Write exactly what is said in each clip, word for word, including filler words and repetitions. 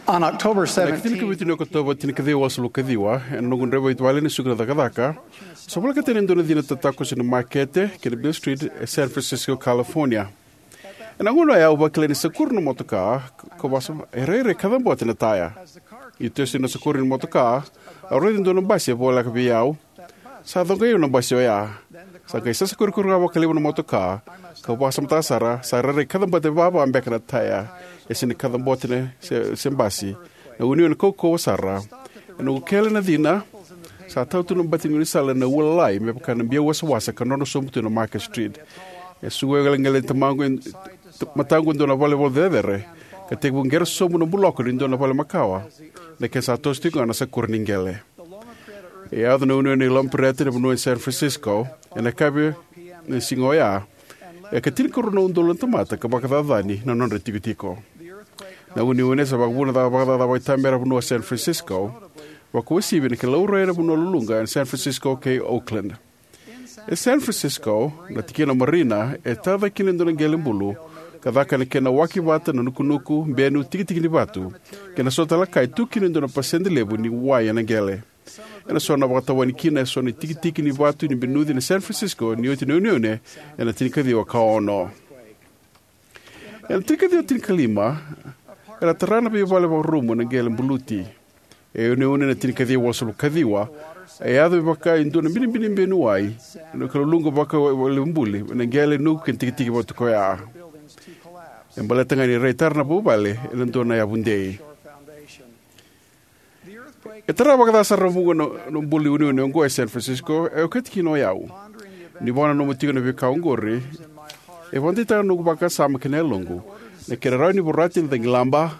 On October ena ikatinikavitu ni Okotova, tinikaciwa walusagavulu kaciwa, ena noqu draiva i vale ena suka na cakacaka, sa volekata yani e dua na cina tatakoso ena makete kei na Beale Street e San Francisco, California. Ena gauna oya au vakila ni sakuri na motoka, kau vakasama, e rairai kacabote na taya. Ni toso yani na sakuri ni motoka, au raica e dua na basi e voleka vei au. Sa coqai au na basi oya. Sa qai sasakurikuri ga vakalevu na motoka, kau vakasamataka sara, sa rairai kacabote vava beka na taya, e sega ni kacabote na se, se basi. Na uneune kaukauwa sara. Ena noqu kele na cina, sa tau tu na bati ni gaunisala ena ua lalai me vaka na biau wasawasa ka drodro sobu tu na Market Street. E suka iqeleqele ni tamaqu e, mataqu e dua na valenivolavola cecere, ka tekivu qere sobu na buloko ni dua na vale makawa. Na kena sa toso tiko ga na sakuri ni qele. E yaco na uneune i Loma Prieta ena vanua e San Francisco, ena yakavi ni siga oya. E ka tinikarua na udolu na tamata ka vakacacani na nodra itikotiko. Na uneune sa vakavuna na vakacaca vakaitamera vanua o San Francisco, vakauasivi ena kena laurai ena vanua luluqa ena San Francisco kei Oakland. E San Francisco, na tikina o Marina e tara cake kina e dua na qele bulu, ka caka ena kena waki vata na nukunuku, benu, tikitiki ni vatu, kei na so tale na ka e tu kina e dua na pasede levu ni wai ena qele. Ena so na vakatawani kina e so na tikitiki ni vatu ni benuci na San Francisco ni oti na uneune ena tinikaciwa ka ono. Ena tinikaciwa tinikalima, era tara na veivale vakarumu ena qele buluti. E uneune ena tinikaciwa walusagavulu kaciwa, e yaco me vaka e dua na binibini benu wai, ena ka luluqa vaka e levu buli ena qele, nuku kei na tikitiki vatu koya. E baleta ga ni rai tara na vuvale ena dua na yavu dei. E tara vakaca sara na vuqa na, na buli uneune oqo e San Francisco, e okati kina o yau. Ni vakananuma tiko na veika oqori, e vakadeitaka na noqu vakasama kei na yaloqu na kena rawa ni vorati na cagilaba,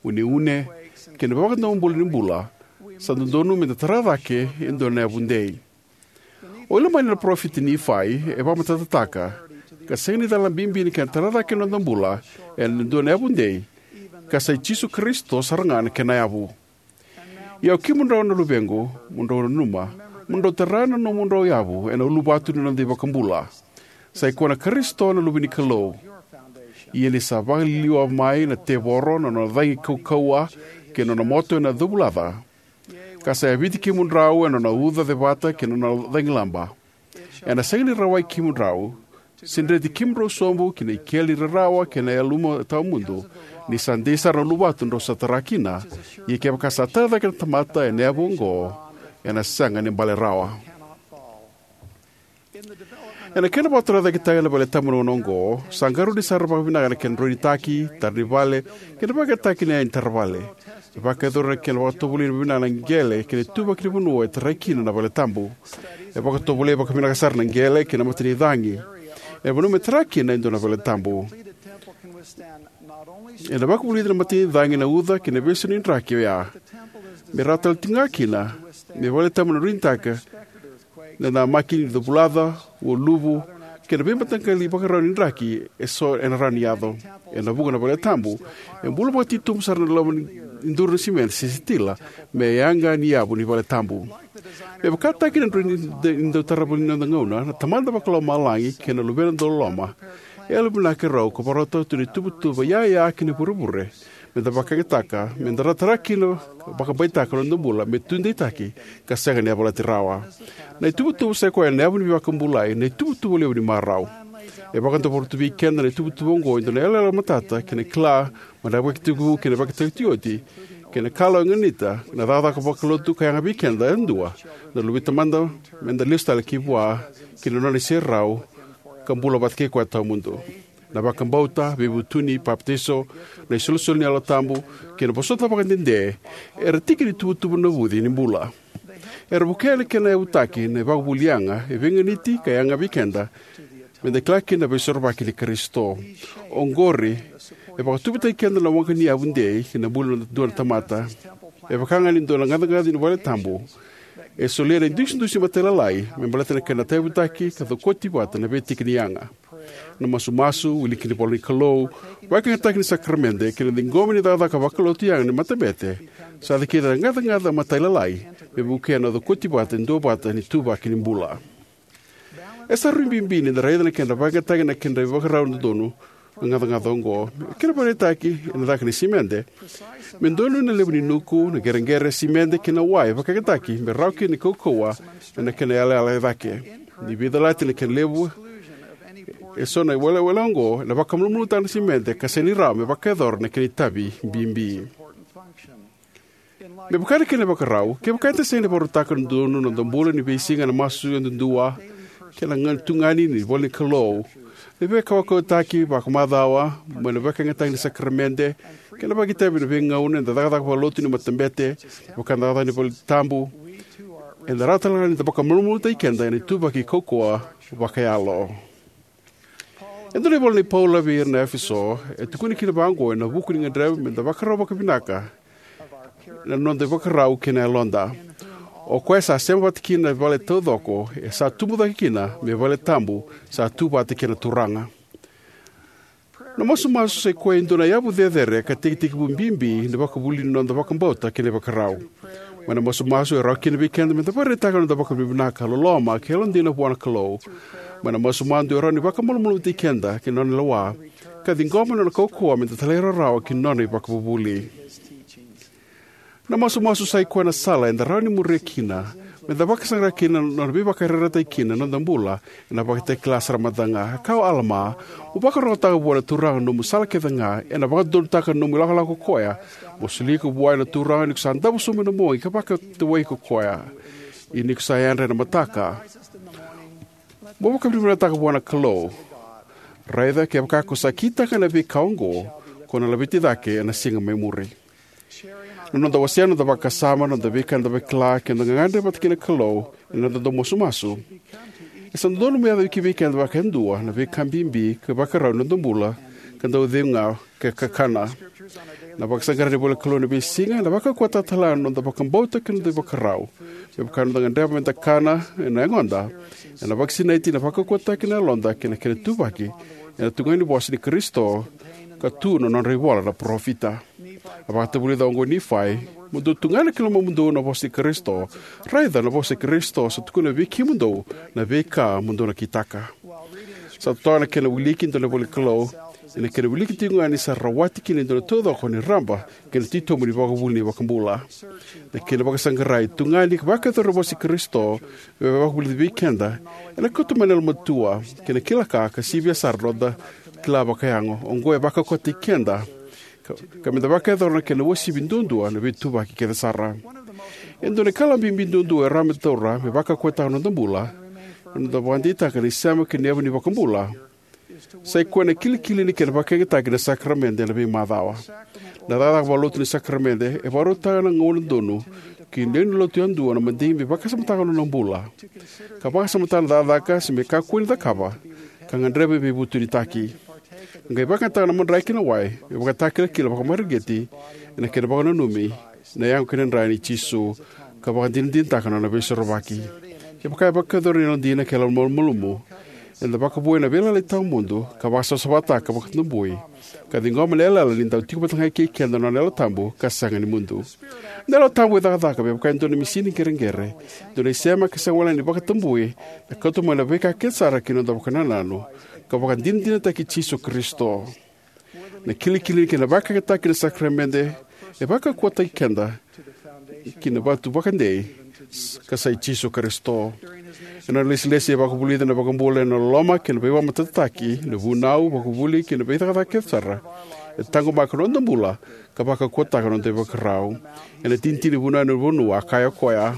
uneune, kei na veivakadomobula ni bula. Sa dodonu me da tara cake e dua na yavu dei. O Ilamani na parofita Nifai e vakamatatataka, ka sega ni cala bibi na kena tara cake na noda bula ena dua na yavu dei, ka sa i Jisu Karisito sara ga na kena yavu. Ia o kemudrau na luvequ, mo drau nanuma, mo drau tara na nomudrau yavu ena uluvatu ni noda iVakabula. Sa i koya na Karisito na Luve ni Kalou. Ia ni sa vakaliliwa mai na tevoro na nona cagi kaukauwa kei na nona moto ena covulaca, ka sa yaviti kemudrau ena nona uca cevata kei na nona cagilaba, ena sega ni rawai kemudrau, se dreti kemudrau sobu ki na ikeli ni rarawa kei na yaluma tawamudu, ni sa dei sara na uluvatu drau sa tara kina. Ia kevaka sa tara cake na tamata ena yavu oqo, ena sega ni bale rawa. Ena kena vakatara cake tale na vale tabu ena gauna oqo, sa qarauni sara vakavinaka na kena droinitaki, tara ni vale, kei na vakayagataki na iyaya ni tara vale. E vakayacori na kena vakatovolei vakavinaka na qele kei na ituvaki ni vanua e tarai kina na vale tabu. E vakatovolei vakavinaka sara na qele kei na matanicagi ena vanua me tara kina e dua na vale tabu. Ena vakavulici na matanicagi na uca kei na veisau ni draki oya. Me rawa tale tiko ga kina me vale tabu na droinitaki na namaki ni covulaca, ualuvu, kei na veimataqali ivakarau ni draki eso ena rawa ni yaco. Ena vuqa na vale tabu, e bula vakatitobu sara na loma ni duru na simede se sitila, me yaga ni yavu ni vale tabu. Me vakataki na droi ni, ni dau tarava ni noda gauna, na Tamada Vakalomalagi kei na Luvena dauloloma e yalovinaka e rau, ka vakarautaka tu na ituvatuva yaya kei na ivurevure me da vakayagataka, me da tara kina, vakabaitaka na noda bula me tudeitaki, ka sega ni yavalati rawa. Na ituvatuva sa i koya na yavu ni veivakabulai, na ituvatuva levu ni marau. E vakadavora tu vei keda na ituvatuva oqo e dua na iyaloyalo matata kei na kila mai na vakatekivu kei na vakatikotiko, kei na kala e ganita na cakacaka vakalotu ka yaga vei keda yadua na Luve i Tamada, me da lesu tale ki vua ki na nona iserau, ka bula vata kei koya tawamudu. Na vakabauta, veivutuni, papitaiso, na isolisoli ni Yalo Tabu, kei na vosota vakadede, era tiki ni tuvatuva navuci ni bula. Era vukea na kena yavutaki na ivakavuvuli yaga e veiganiti ka yaga vei keda, me da kila kina na Veisorovaki i Karisito. Oqori e vakatuvitaki keda na waqa ni yavu dei ki na bula ni dua na tamata. E vaka ga ni dua na gacagaca ni vale tabu, e solia na idusidusi matailalai me baleta na kena tauyavutaki ka cokoti vata na veitiki ni yaga. Na masumasu, wiliki ni ivola ni Kalou, vakayagataki ni sakaramede, kei na ciqomi ni cakacaka vakalotu yaga ni matabete, sa cikica na gacagaca matailalai me vukea na cokoti vata e duavata ni ituvaki ni bula. E sa rui bibi ni da raica na kena vakayagataki na kena ivakarau dodonu gacagaca oqo. Kena ivakaraitaki, ena caka ni simede, me donuya na levu ni nuku, na qereqere, simede kei na wai vakayagataki me rawa kina ni kaukauwa ena kena yalayala e cake. Ni veicalati na kena levu eso na iwalewale oqo, ena vakamalumalumutaka na simede ka sega ni rawa me vakayacora na kena itavi bibi. Me vaka na kena ivakarau, kevaka eda sega ni vakarautaka dodonu na noda bula ni veisiga ena masu yadudua kei na tugani ni ivolanikalou, na veikaukautaki vakamacawa mai na vakayagataki ni sakaramede, kei na vakaitavi ena veigauna eda cakacaka vakalotu ni matabete, me vaka na cakacaka ni valetabu, eda rawa talega ni da vakamalumalumutaki keda ena ituvaki kaukauwa vakayalo. E dua na ivola nei Paula vei ira na Efeso e tukuna kina vaqo ena vuku ni gadreva meda vakarau vakavinaka na noda ivakarau kei na yaloda. O koya sa sema vata kina na vale taucoko e sa tubu cake kina me vale tabu sa tu vata kei na Turaga. Na masumasu sa ikoya e dua na yavu cecere ka tekitekivu bibi ni vakavuli ni noda vakabauta kei na ivakarau. Mai na masumasu e rawa kina vei keda meda vakaraitaka na noda vakavinavinaka, loloma kei na yalodina vua na Kalou. Mai na masumasu e rawa ni vakamalumalumutaki keda kei na nona lewa ka ciqoma na nona kaukauwa meda talairawarawa ki na nona ivakavuvuli. Na masumasu sa ikoya na sala eda rawa ni muria kina meda vakasaqara kina na nona veivakayarayarataki kina na noda bula ena vakatakila sara mada ga. E kaya o Alama, mo vakarogotaka vua na Turaga na nomu sala kece ga, ena vakadodonutaka na nomu ilakolako ko koya. Mo soli iko vua na Turaga ni ko sa davo sobu ena bogi ka vakatawai iko ko koya. Ia ni ko sa yadra ena mataka, mo vakavinavinakataka vua na Kalou. Raica kevaka ko sa kitaka na veika oqo, ko na laveti cake ena siga mai muri. Na noda wasea na noda vakasama, na noda veika eda vakila kei na noda gagadre vata kei na Kalou ena noda dau masumasu, e sa dodonu me yaco ki vei keda vakayadua na veika bibi ka ivakarau ni noda bula ka dau cegu ga ka kakana. Na vakasaqara ni ivolanikalou ena veisiga ena vakaukauwataka talega na noda vakabauta kei na noda ivakarau. Me vaka na noda gadreva meda kana ena yagoda, ena vakasinaiti na vakaukauwataki na yaloda kei na kena ituvaki ena tugani ni vosa ni Karisito ka tu na nodra ivola na parofita. A vakatavulica oqo o Nifai, mo dou tugana ki lomamudou na vosa ni Karisito. Raica na vosa ni Karisito sa tukuna vei kemudou na veika mo dou na kitaka. Sa totoka na kena wiliki e dua na ivolanikalou, ia na kena wiliki tiko ga ni sa rawati kina e dua na taucoko ni raba kei na titobu ni ivakavuvuli ni iVakabula. Na kena vakasaqarai, tugani ka vakayacori na vosa ni Karisito e vakavulici vei keda, ena kauta mai na yalomatua kei na kila ka, ka sivia sara na noda kila vakayago. Oqo e vakaukauwataki keda ka, ka meda vakayacora na kena uasivi duadua na veituvaki kece sara. E dua na ikalawa bibi duadua e rawa meda taura me vakaukauwataka na noda bula, na noda vakadeitaka na isema kei na yavu ni iVakabula, sa ikoya na kilikili ni kena vakayagataki na sakaramede ena veimacawa. Na cakacaka vakalotu ni sakaramede e vakarautaka na gauna donu ki na lewe ni lotu yadua na madigi me vakasamataka na nona bula, ka vakasamataka na cakacaka se me kakua ni cakava, ka gadreva me veivutunitaki. Qai vakayagataka na madrai kei na wai me vakatakilakila vakamareqeti ena kena vakananumi na yago kei na dra nei Jisu, ka vakadinadinataka na nona veisorovaki. Kevaka e vakayacori ena yalodina kei na yalomalumalumu, eda vakavouya na veiyalayalati tawamudu ka vakasavasavataka ka vakatabui, ka ciqoma na yalayala ni dau tiko vata ga kei keda na nona Yalo Tabu ka sega ni mudu. Na Yalo Tabu e cakacaka me vaka e dua na misini qereqere, dua na isema ka sega wale ni vakatabui, e kauta mai na veika kece sara ki na noda vakanananu, ka vakadinadinataki Jisu Karisito. Na kilikili ni kena vakayagataki na sakaramede e vakaukauwataki keda ki na vatu vakadei, ka sa i Jisu Karisito. Ena nona ilesilesi e vakavulica na iVakabula ena loloma kei na veivakamatatataki, na vunau, vakavuvuli kei na veicakacaka kece sara. E taqomaka na noda bula ka vakaukauwataka na noda ivakarau. Ena itinitini ni Vunau ena Ulunivanua, a kaya o koya: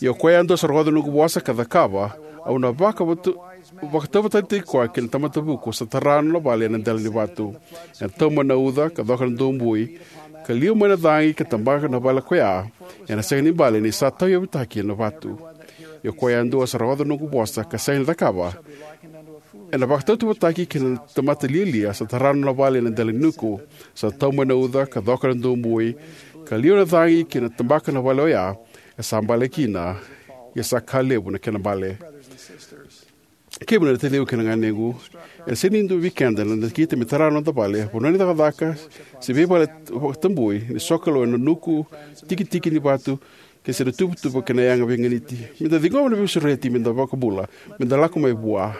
Ia o koya yadua sa rogoca na noqu vosa ka cakava, au na vakavatu-, vakatauvatani koya kei na tamata vuku sa tara na nona vale ena dela ni vatu. Ena tau mai na uca ka coka na dobui, ka liwa mai na cagi ka tabaka na vale ko ya, ena sega ni bale ni sa tauyavutaki ena vatu. Ia o koya yadua sa rogoca na noqu vosa ka sega ni cakava, ena vakatautauvatataki kei na tamata lialia sa tara na nona vale ena dela ni nuku. Sa tau mai na uca ka coka na dobui, ka liwa na cagi kei na tabaka na vale oya, e sa bale kina, ia sa ka levu na kena bale. Kemuni na taciqu kei na ganequ, ena sega ni dua vei keda ena nakita me tara na noda vale, vanua ni cakacaka, se veivale vakatabui ni sokalou ena nuku, tikitiki ni vatu, kei se na tuvatuva kei na yaga veiganiti. Meda ciqoma na veisureti meda vakabula, meda lako mai vua.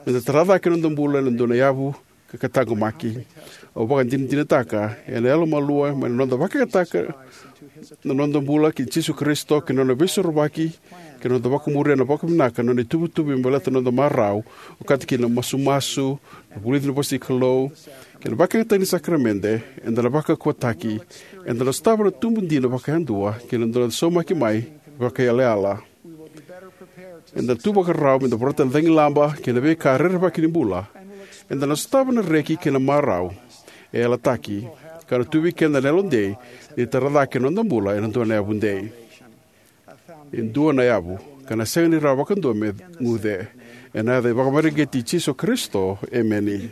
Meda tara cake na noda bula ena dua na yavu ka taqomaki. Au vakadinadinataka ena yalomalua mai na noda vakayagataka na noda bula ki Jisu Karisito kei na nona veisorovaki, kei na noda vakamuria na vakavinaka na nona ituvatuva me baleta na noda marau, okati kina na masumasu, na vulici na vosa ni Kalou, kei na vakayagataki ni sakaramede, eda na vakaukauwataki. Eda na sotava na tubu dina vakayadua kei na noda saumaki mai vakaiyalayala. Eda na tu vakarau me da vorata na cagilaba kei na veika rerevaki ni bula. Eda na sotava na reki kei na marau e yalataki, ka na tu vei keda na yalodei ni tara cake na noda bula ena dua na yavu dei. E dua na yavu ka na sega ni rawa vakadua me guce. Ena yaca vakamareqeti i Jisu Karisito, emeni.